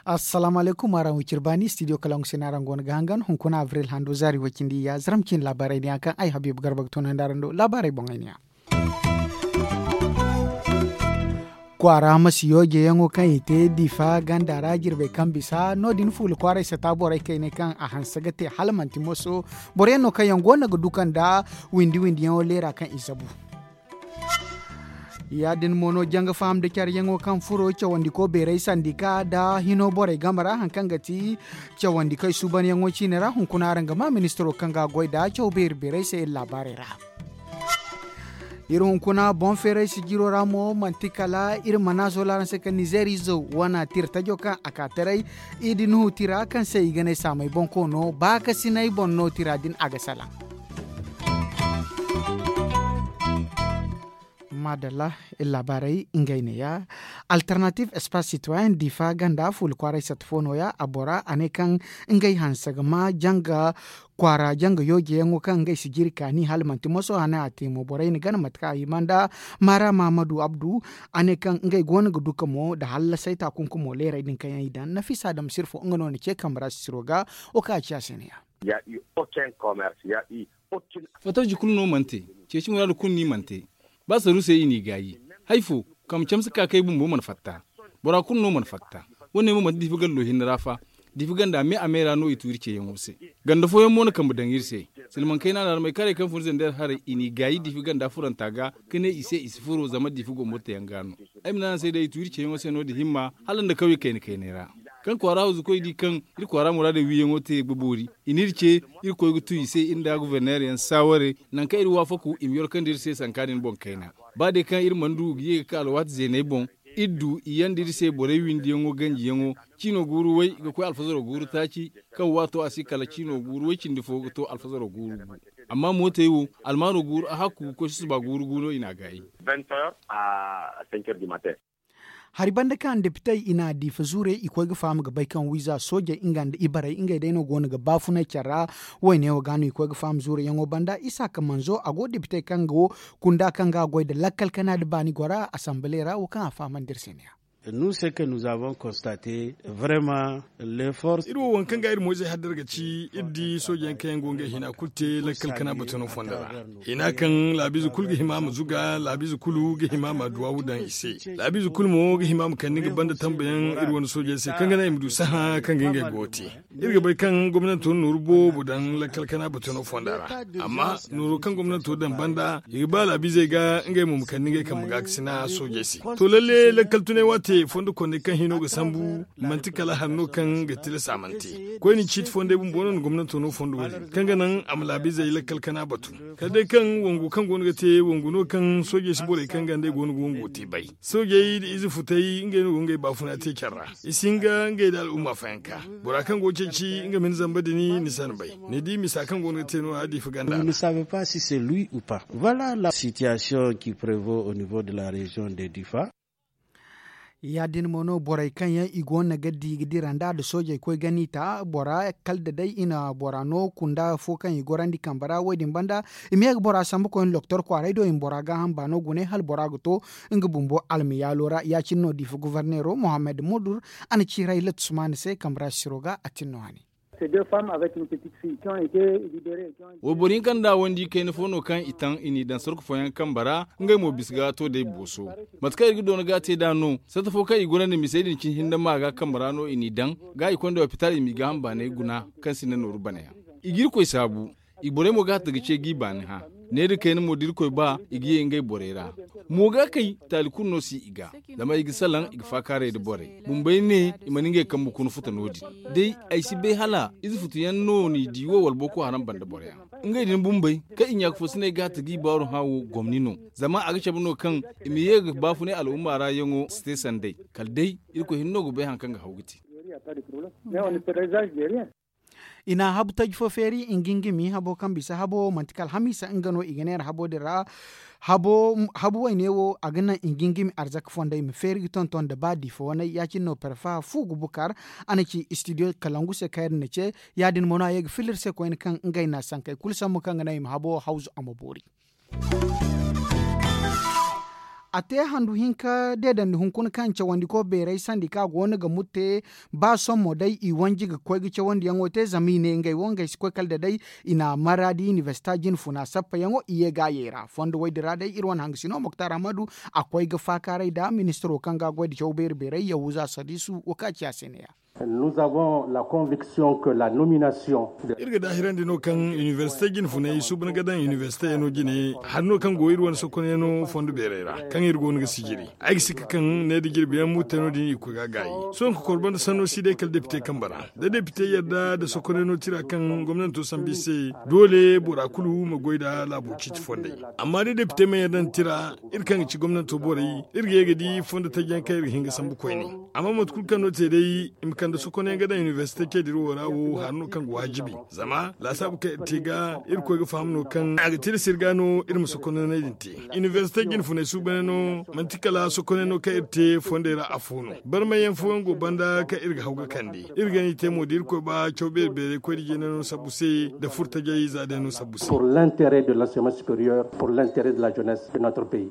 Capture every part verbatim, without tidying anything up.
Assalaamu alaykum, araŋ wo cire baani studio kalaŋ se no araŋ go no ga hangan hunkuna abril hando zaari way cindi ya zaram cine laabaarey din yaŋ kaŋ ay habiibu garba ga tunandi araŋ do laabaarey boŋey ne ya. Kwaara masi yoojeyaŋo kaŋ i te diifa ganda ra jirbey kaŋ bisa no- din fuula kwaaray sata borey kayne kaŋ a hanse ga te hala manti moso boro yaŋ no kaŋ yaŋ go no ga duka nda windi windi yaŋo leera kaŋ i zabu. Ya- din mo no janga faham nda care yaŋo kaŋ furo cawandiko beeray sandika nda hino borey game ra hari kaŋ ga ti cawandikey suuban yaŋo ciine ra hunkuna araŋ ga ma ministiro kaŋ ga a goy nda caw beeri beeray se iri laabaarey ra. Iri hunkuna boŋ feeray sijiro ra mo manti kala iri mana zoola araŋ se kaŋ nizeer izo wana tira tajo kaŋ a ka taray i di nuhu tira kaŋ se i ga ne saamay bonkoono baakasinay boŋ no tira din a ga salaŋ. Maadalla, iri laabaarey ngey ne ya. Alternative espace citoyen diifa ganda fuula kwaaray satta fo no- ya a bora a ne kaŋ ngey hanse ga ma janga kwaara janga yoojeyaŋo kaŋ ngey si jiri kaani hala manti moso hane a te mo borey na gana mate kaŋ a hima nda maara mahamadu abdu. A ne kaŋ ngey go no ga duka mo nda hallasay taakunkumo leeray din kaŋ yaŋ i daŋ nafiisa dam sirfo nga no na ce kambe ra sisiro ga wo kaŋ a ci a se ne ya. Fotoji kulu no mana te. Ceeci muraadu kulu no i mana te. Ba saruusey i n'i gaayi. Hari fo, kambe camse ka kay bumbo mana fatta. Bora kulu no mana fatta. Wo- ne mo manti diifi gallo hinne ra fa. Diifi ganda me a me ra no i tu iri ceeyaŋo se. Ganda fooyaŋ mo na kambe daŋ iri se. Silmaŋ kayna nda almay karey kaŋ fun zandeer haray i n'i gaayi diifi ganda furanta ga, ka ne i se i si furo zama diifi gomborteyaŋ ga no. Ay ma ne araŋ se day i tu iri ceeyaŋo se no- din himma hala nda kawye kayna kayney ra. Kaŋ kwaara hawzukoy di kaŋ iri kwaara muraadey wiiyaŋo te ga boori, i n'iri ce. Iri koy ga tu i se iri nda guberneer yaŋ saaware, nangu kaŋ iri waafaku i ma yorkandi iri se sanka din boŋ kayna. Ba day kaŋ iri mana du ga ye ga ka alwaati zeeney boŋ, iri du i yaŋ da iri se borey windiyaŋo ganjiyaŋo. Ciino guuru way ga koy alfazaro guuru taaci, kaŋ waato a si kala ciino guuru way cindi fo ga to alfazaro guuru gu. Amma mootey wo, almaano guuru a hakku ga koy susuba guuru gu no i n'a gaayi. Hari banda kaŋ depitey i na diifa zuurey i koy ga faham ga bay kaŋ wiiza soojey nga nda ibarey ngey day no go no ga baafunay care ra. Wayne wo ga no i koy ga faham zuurey yaŋo banda isaaka manzo a go depitey kaŋ go kunda kaŋ ga a goy nda lakkal kana nda baani gora asamble ra wo kaŋ a fahamandi iri se ne ya. Iri wo waŋ kaŋ ga iri moyzey haddar ga ci iri di sooje yaŋ kaŋ yaŋ go ngey hina kulu te lakkal kana batuno fondo ra. Hina kaŋ laabiize kulu ga hima a ma zuga laabiize kulu ga hima a ma duwaawu daŋ i se. Laabiize kulu mo ga hima a ma kande nga banda tambayaŋ iri wane soojey se kaŋ ga naŋ i ma du sahã kaŋ ga ngey go ga te. Iri ga bay kaŋ gomnanto na nooru boobo daŋ lakkal kana batuno fonda ra. Amma nooro kaŋ gomnanto daŋ banda i ga ba laabiizey ga ngey mo ma kande ngey kambe ga ga sina soojey se. To lalle lakkal tunay waate fondo kondey kaŋ hino ga sambu manti kala hari no kaŋ ga tilas a mana te. Koyne ciiti fondey bumbo no na gomnanto no fondo wo-din kaŋ ga naŋ a ma laabiizey lakkal kana batu. Kala day kaŋ wangu kaŋ go no ga te wangu no kaŋ soojey si borey kaŋ ga nd'ey go no ga wango te bay. Soojey nda ize futey ngey no go ngey baafuna te care ra. I si hin ga ngey nda al'umma fayanka. Bora kaŋ go ga ceeci nga ma ni zamba din ni si a ni bay. Ni di misa kaŋ go no ga te no-ya diifa ganda ra. Vous ne savez pas si c'est lui ou pas. Voilà la situation qui prévaut au niveau de la région de difa. Ya- din mo no borey kaŋ yaŋ i go no ga di ga dira nd'a nda soojey koy gani ta bora kala da day i na bora no kunda fo kaŋ i gorandi kambe ra wo- din banda. I ma ye ga bora sambu koyne doktor kwaaray do i ma bora gaaham baano gune hala bora ga to nga bumbo almayaalo ra ya- cine no diifa goforneero mohammed mudur. A na ciiray latusmaana se kambe ra sisiro ga a tin no hane. Wayboro hinka nda wandi kayna fo no kaŋ i taŋ i n'i daŋ sorko fooyaŋ kambe ra. Ngey mo bisa ga to day booso. Mate kaŋ iri ga doona ga te nd'a no sarta fo kaŋ i gorandi misey din cine hinne ma ga kambe ra no i n'i daŋ. Ga i konda lopital i m'i gaaham baanay guna kaŋ sinda nooru banayaŋ. I ga irkoy saabu. I borey mo ga hatta ga ce g'i baani hã. Ne da kayna mo da irkoy ba i ga ye ngey borey ra. Mo ga kay taali kulu no si i ga. Zama i ga salaŋ i ga faakaaray nda borey bumbey ne i mana ngey kambe kuna futa no- din. Day ay si bay hala ize futuyaŋ no n'i di wo wala boko haram banda boroyaŋ. Ngey din bumbey kaŋ i ɲaaka fo si ne ga hatta g'i baaru hã wo gomni no. Zama a ga cabe no kaŋ i ma ye ga baafunay al'umma ra yaŋo si te sanday. Kala day irkoy hinne no ga bay hari kaŋ ga haw ga te. I na habu taji fo feeri ngingimi habo kaŋ bisa habo manti kala hamiisa nga no i ga neera habo din ra. Habu wayne wo a ga naŋ ngingimi arzaka fondey ma feeri ga tonton nda ba diifa waney ya- cine no parfa fu ga bukar. A na ci studio kalangu se kaŋ iri na ce ya- din mo no a ye ga filla iri se koyne kaŋ ngey na sankey kulu sambu kaŋ ga naŋ i ma habo hawzu a ma boori. A te handu hinka deedandi hunkuna kaŋ cawandiko beeray sandi kaŋ a go no ga murte ba sommo day i wanji ga koy ga cawandiyaŋo te zama i ne ngey wo ngey si koy kala da day. I na maradi inibersita jine funa sappayaŋo i ye ga a yay ra fondo woy din ra day iri wane hangasino moktar ahmadu a koy ga faakaaray nda ministiro kaŋ ga a goy nda caw beeri beeray yahuza sadisu wo kaŋ a ci a se neeya. Iri ga daahirandi no kaŋ inibersite jine funay suuban ga daŋ inibersite yaŋo jine hari no kaŋ go iri wane sokonyaŋo fondo beeray ra kaŋ iri go no ga sijiri. Ay ga sikka kaŋ ne da jirbi yaŋ murte no- din i ga koy ga a gaayi. Sohõ ka kor banda sanno si day kala depite kambe ra da depite yadda nda sokonyaŋo tira kaŋ gomnanto sambu i se, doole bora kulu ma goy nda laabo ciiti fondey. Amma da depite mana yadda nda tira, iri kaŋ ga ci gomnanto borey, iri ga ye ga di fondo taji yaŋ kaŋ iri ga hin ga sambu koyne. Amma mate kulu kaŋ no te day i ma kande sokonyaŋ ga daŋ inibersite ceediro wo ra wo hari no kaŋ ga waajibi. Zama laasaabu kaŋ iri te ga iri koy ga faham no kaŋ a ga tilas iri ga no iri ma sokonyaŋey din te. Inibersite jine funay suubanyaŋo manti kala sokonyaŋo kaŋ iri te fondey ra afo no. Barmayyaŋ fooyaŋ go banda kaŋ iri ga haw ga kande. Iri ga ni te mo da iri koy ba caw beeri beeray koy da jeenayaŋo sambu se nda furtajey za day no sambu se. Pour l'intérêt de l'enseignement supérieur, pour l'intérêt de la jeunesse de notre pays.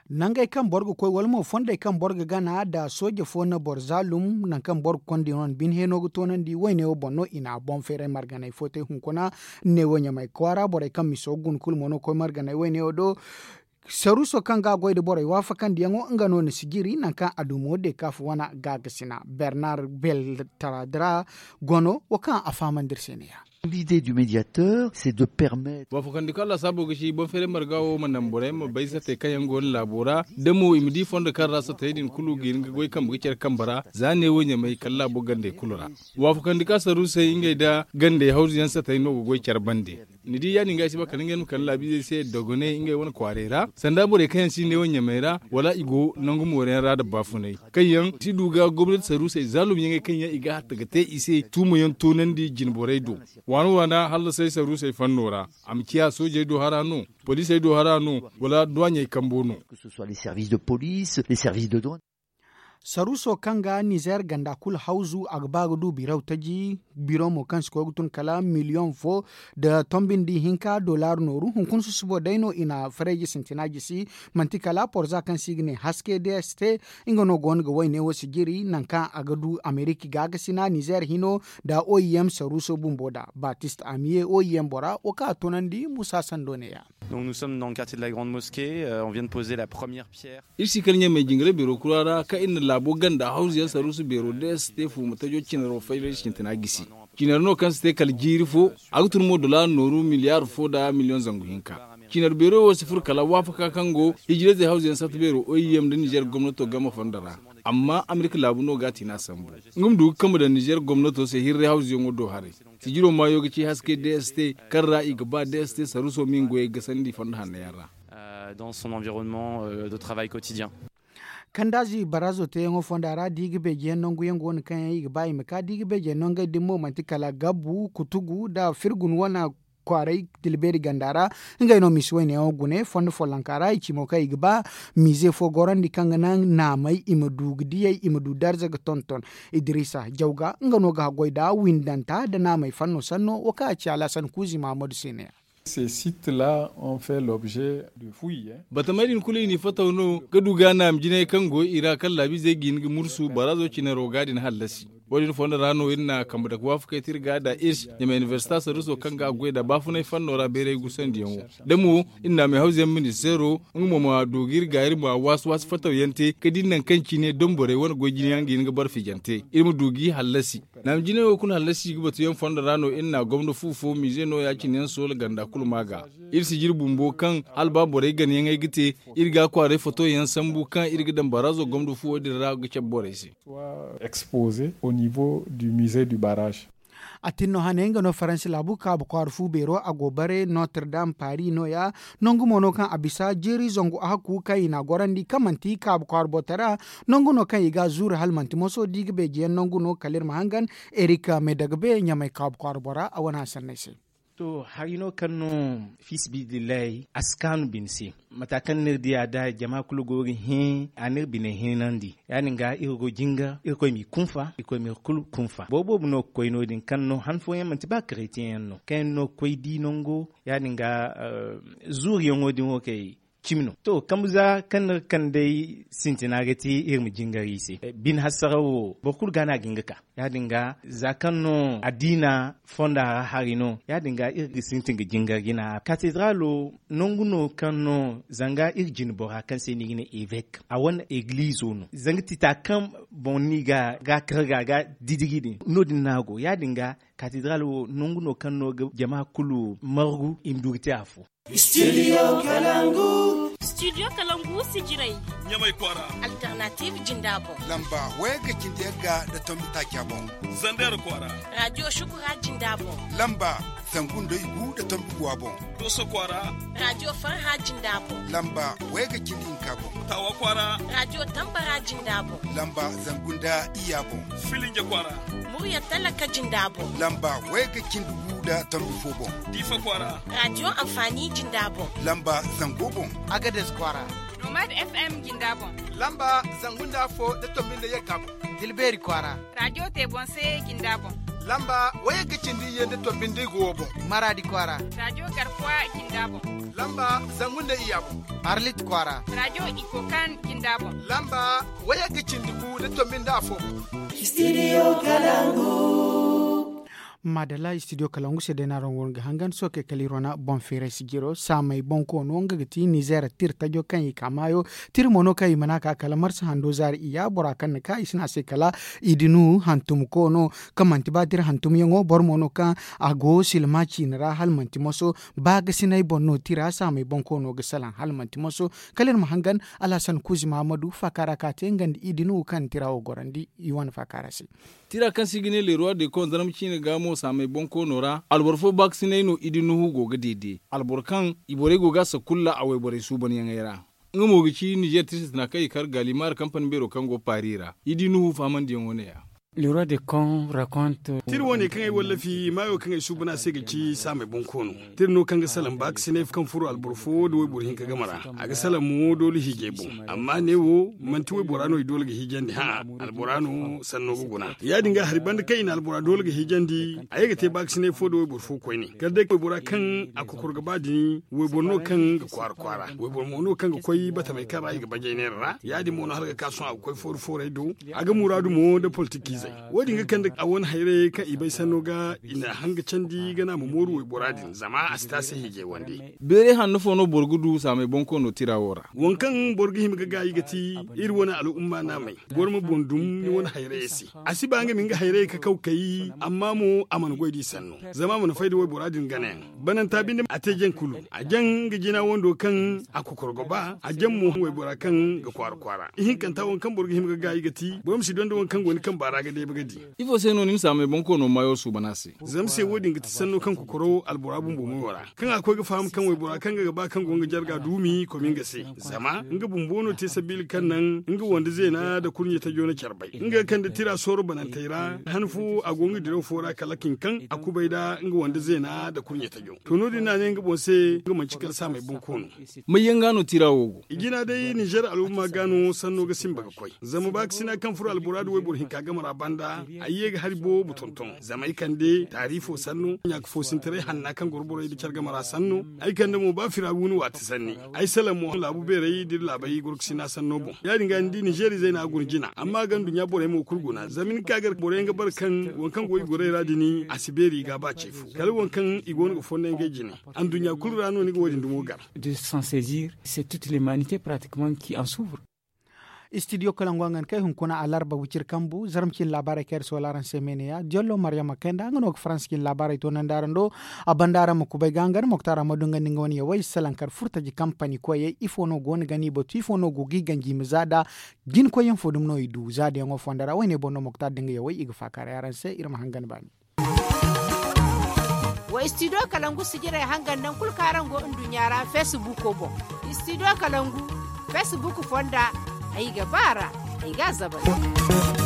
Nangey kaŋ boro ga koy wala mo fondey kaŋ boro ga gana nda sooje fo na boro zaalum nangu kaŋ boro ga konda yaŋ wane bine heeno ga toonandi wayne wo boŋ no i na boŋ feeray marganay fo te hunkuna. Neewo ɲamay kwaara borey kaŋ miso ga guna kulu mo no ga koy marganay wayne wo do. Saruuso kaŋ ga a goy nda borey waafakandiyaŋo nga no na sijiri nangu kaŋ a du mo deekaafu wana gaagasina bernar bel tara dira gono wo kaŋ a fahamandi iri se neeya. L'idée du médiateur c'est de permettre. Waafakandi kaŋ lasaabo ga ci boŋ feeray marga wo ma naŋ borey ma bay satey kaŋ yaŋ go no laabo ra da mo i ma di fondo kaŋ ra satey din kulu ga hin ga goy kambe ga care kambe ra. Za neewo ɲamay kala laabo gandey kulu ra. Waafakandi kaŋ saruusey ngey nda gandey hawzu yaŋ satey no ga goy care bande. Ni di ya- din ga ay si ba kala ngey ma kala laabiizey se dogoney ngey wane kwaaray ra sanda borey kaŋ yaŋ si neewo ɲamay ra wala i go nangu mooro yaŋ ra nda baafunay kaŋ yaŋ si du ga gomnati saruusey zaalum yaŋey kaŋ yaŋ i ga hatta ga te i se tuumo yaŋ toonandi jinborey do. Waana waana hallasay saruusey fanno ra a ma ciya soojey do hara no, poliisey do hara no, wala duwaaɲey kambo no. Saruuso kaŋ ga nizeer ganda kulu hawzu a ga ba ga du biraw taji biro mo kaŋ si koy ga tun kala miliyoŋ fo nda tombindi hinka dollar nooru hunkuna susubo day no i na fareeji sintina jisi. Manti kala porza kaŋ se i ga ne haske dst nga no go no ga wayne wo sijiri nangu kaŋ a ga du amerika gaagasina nizeer hino nda oim saruuso bumbo da batist amiye oim bora wo kaŋ a tunandi musa sando neeya. Donc nous sommes dans le quartier de la grande mosquée. On vient de poser la première pierre. Iri si kala ɲamay jingaray beero kura ra kaŋ iri na laabo ganda hawzu yaŋ saruusu beero da yaŋ si te fuuma tajo cinaro faylay sintina gisi. Cinar no kaŋ si te kala jiiri fo a ga tun mo dolaara nooru miliyaar fo nda miliyoŋ zangu hinka. Cinar beero wo si furo kala waafaka kaŋ go hijirayzey hawzu yaŋ sata beero oim nda nizeer gomnato game fondo ra. Amma amerika laabu no ga a tiina sambu nga ma du ga kambe daŋ nizeer gomnato se hirray hawzu yaŋo do haray. Sijiro maayo ga ci haske dst kaŋ ra i ga ba dst saruuso ma i nga goyey gasandi fondo hanno yaŋ ra. Dans son environnement de travail quotidien. Kandaazi baraazo teeyaŋo fonda ra da i ga beejiyaŋ nanguyaŋ go no kaŋ yaŋ i ga ba i ma ka da i ga beejiyaŋ nangey din mo manti kala gabbu kutugu nda firgun wane kwaaray tilbeeri ganda ra. Ngey no misi wayneyaŋo gune fondo follonka ra i ci mo kaŋ i ga ba miize fo gorandi kaŋ ga naŋ naamey i ma du ga diyey i ma du darza ga tonton. Idiriisa jawga nga no ga haggoy nda windanta nda naamey fanno sanno wo kaŋ a ci alaasan kuuzi mahamadu se neeya. Ces sites là ont fait l'objet de fouilles. Batamey din kulu i n'i fataw no ga du ga naama jinay kaŋ go i ra kaŋ laabiizey ga hin ga mursu baraazo cinaro ga din hallasi. Wo- din fondo ra no iri na kambe dake waafakey te iri ga da iri ɲamay inibersita saruuso kaŋ ga a goy nda baafunay fanno ra bayray gusandiyaŋo da mo iri na meehawzuyaŋ ministeero nga mo ma du ga iri ga iri ma waasi waasi fatawyaŋ te ga di nangu kaŋ cine donborey wane goy jine yaŋ ga hin ga bara fijante iri ma du g'i hallasi. Naama jinay wo kulu hallasi ga batuyaŋ fondo ra no iri na gomna fu fo miize no ya- cine yaŋ soola ganda kulu ma ga. Iri si jiri bumbo kaŋ hala ba borey ganayaŋey ga te iri ga a kwaaray fotoyaŋ sambu kaŋ iri ga daŋ baraazo gomna fuwo din ra ga cabe borey se. Exposé au niveau du musée du barrage. A tin no hane nga no faransi laabu kaabu kwaara fu beero a go bare notre dame paris no- ya. Nangu mo no kaŋ a bisa jeeri zangu a hakku kaŋ i n'a gorandi kaŋ manti kaabu kwaara botara. Nangu no kaŋ i ga a zuuru hala manti moso da i ga beeji yaŋ nangu no kala iri ma hangan. Erik me daga be ɲamay kaabu kwaara bora a wane hasanney se. To hari no kaŋ no fiisabilillahi a si kaanu bine se. Mata kaŋ no iri di a da jama kulu go ga hẽ a na iri bine hinandi ya- din ga iri go jingar irkoy m'i kunfa irkoy ma iri kulu kunfa boro boobo no ga koy no- din kaŋ no han fooyaŋ manti ba karetiyaŋ yaŋ no kaŋ yaŋ no ga koy di nango ya- din ga zuuriyaŋo din wo kay. Cimi no to kambe za kaŋ no ga kande day sintina ga ti iri ma jingar i se. Bine hasaraw wo boro kulu ga no a ga hin ga ka ya- din ga za kaŋ no addiina fonda ra hari no ya- din ga iri ga sintin ga jingar jina katedralo nangu no kaŋ no zanga iri jine bora kaŋ se no i ga ne evek a wane eglizo no zanga tita kaŋ boŋ no i ga ga karga ga didiri din no- din no a go ya- din ga katedral wo nangu no kaŋ no ga jama kulu margu i ma du ga te afo. Studio kalangu. Studio kalangu sijirey ɲamay kwaara. Alternative jinda boŋ. Lamba wayagga cindi yagga nda tombi taaca boŋ. Zander kwaara. Radio shukura jinda boŋ. Lamba zangu nda igu nda tombi guwa boŋ. Doso kwaara. Radio farha jinda boŋ. Lamba wayagga cindi hinka boŋ. Tawa kwaara. Radio tambara jinda boŋ. Lamba zangu nda iyya boŋ. Filinja kwaara. Murya talaka jinda boŋ. Lamba wayagga cindi gu nda tombi fo boŋ. Diifa kwaara. Radio anfaani jinda boŋ. Lamba zango boŋ. Agades kwaara. Nomad fm jinda boŋ. Lamba zangu nda afo nda tombi nda yagga boŋ. Dilbeeri kwaara. Radio teebonse jinda boŋ. Lamba wayagga cindi iyye nda tombi nda igu wo boŋ. Maraadi kwaara. Radio garkuwa jinda boŋ. Lamba zangu nda iyya boŋ. Arlit kwaara. Radio ikokan jinda boŋ. Lamba wayagga cindi gu nda tombi nda afo boŋ. Studio kalangu. Maadalla studio kalangu se day no araŋ go no ga hangan sookey kala iri wane boŋ feeray sijiro saamey boŋ koono nga ga ti nizeer tira tajo kaŋ i ka maayo. Tira mo no kaŋ i mana ka kala marsa hando zaari iyya bora kaŋ na ka i si ne a se kala idinu hantum koono. Kaŋ manti ba tira hantumyaŋo boro mo no kaŋ a go silma ciine ra hala manti moso. Baagasinay boŋ no tira saamey boŋ koono ga salaŋ hala manti moso. Kala iri ma hangan alhasan kuuzi mahamadu faaka ra ka te nga nda idinu kaŋ tira wo gorandi i wane faaka ra se. Tira kaŋ se i ga ne le roi de kon zarma ciine ga mo saamey boŋ koono ra alboro fo baakasinay no idi nuhu go ga deede alboro kaŋ i borey go ga a sakulla a wayborey suubanyaŋey ra. Nga mo ga ci nizer tira sintina kaŋ i kar gaalimar kampani beero kaŋ go paari ra. Idi nuhu fahamandiyaŋo ne- ya. Tira wo- ne kaŋ ay wallafi maayo kaŋ ay suuban a se ga ci saamey boŋ koono. Tira no kaŋ ga salaŋ baakasinay kaŋ furo alboro fo nda wayboro hinka game ra. A ga salaŋ mo doole hiijay boŋ. Amma ne wo manti waybora no i doole ga hiijandi hã'a. Albora no sanno ga guna ya- din ga hari banda kaŋ i na albora doole ga hiijandi a ye ga te baakasinay fo nda wayboro fo koyne kala day waybora kaŋ a kokor ga ba din wayboro no kaŋ ga kwaara kwaara wayboro mo no kaŋ ga koy batamey kaŋ ra i ga bajay neera ra. Ya- din mo no hala ga ka sohõ a ga koy fooru foorey do. A ga muraadu mo nda politikiizey. Wo- din ga kande a wane hayrayey kaŋ i bay sanno ga i na hanga candi ga naŋ a ma mooru waybora din zama a si te a se hiijay wande. Beeray hanno fo no boro ga du saamey boŋ koono tira wo ra? Waŋ kaŋ boro ga hima ga gaayi ga ti iri wane al'umma naamey. Boro ma boŋ dum ni wane hayrayey se. A si ba nga ma nga hayrayey kakaw kay amma mo a mana goy da i sanno. Zama a mana fay da waybora din ganayaŋ. Bananta binde a te jaŋ kulu. A jaŋ nga jina wando kaŋ a kokoro ga ba a jaŋ mo waybora kaŋ ga kwaara kwaara ihinkanta waŋ kaŋ boro ga hima ga gaayi ga ti boro ma si donda waŋ kaŋ go ni kamba ra ga deeba ga di. Ifo se no ni ma saamey boŋ koono maayo suuban a se? Zama se wo- din ga ti sanno kaŋ kokoro albora bumbo mayo ra kaŋ a koy ga faham kaŋ waybora kaŋ nga ga ba kaŋ go nga jarga duumi komi nga se. Zama nga bumbo no te sabiila kaŋ naŋ nga wande zeena nda kurɲe tajo na care bay nga ga kande tira sooro banantey ra han fo a go nga diraw fo ra kala kin kaŋ a kubay nda nga wande zeena nda kurɲe tajo. To no- din no a ne nga boŋ se nga manci kala saamey boŋ koono. May yaŋ ga no tira wo go? I jina day nizer al'umma ga no sanno ga simba ga koy. Zama baakasina kaŋ furo albora nda wayboro hinka game ra banda ay ye ga hari boobo tonton zama ay kande taari fo sanno ɲaaka foosintaray hanna kaŋ goro borey nda care game ra sanno. Ay kande mo ba firawuuna waati sanni. Ay salaŋ mo laabu beerey da iri laabey gorkasina sanno boŋ ya- din ga ni di nizer izey no a guna jina amma a ga nduɲɲa borey mo kulu guna zama ni ka gar boro yaŋ ga bare kaŋ waŋ kaŋ go i gorey ra din a si beeri i ga a ba ce fo kala waŋ kaŋ i go no ga fonda ngey jine. Anduɲɲa kulu ra no ni ga wo- din dumo gar. De s'en saisir c'est toute l'humanité pratiquement qui en souffre. Studio kalangu a ga ni kay hunkuna alarba wiciri kambu zarma cine laabaarey kaŋ iri soola araŋ se meene ya jollo maryama kay nda nga no ga faransa cine laabaarey toonandi araŋ do. A banda araŋ ma kubay ga nga nda moktar ammadu nga nda nga wane yawey salaŋ kar furtaji kampani koyey ifo no go no ga ni batu ifo no go ga i ganji i ma za nda. Jinkoyyaŋ fo dumi no i du za da yaŋo fonda ra woyne boŋ no moktar nda nga yawey i ga faakaaray araŋ se iri ma hangan baani. Wa istidiyo kalangu sijirey hangan naŋ kulu kaŋ araŋ go nduɲɲa ra feesibuuko boŋ. Istidiyo kalangu feesibuuk fonda, ay ga ba a ra, ay ga a zabay.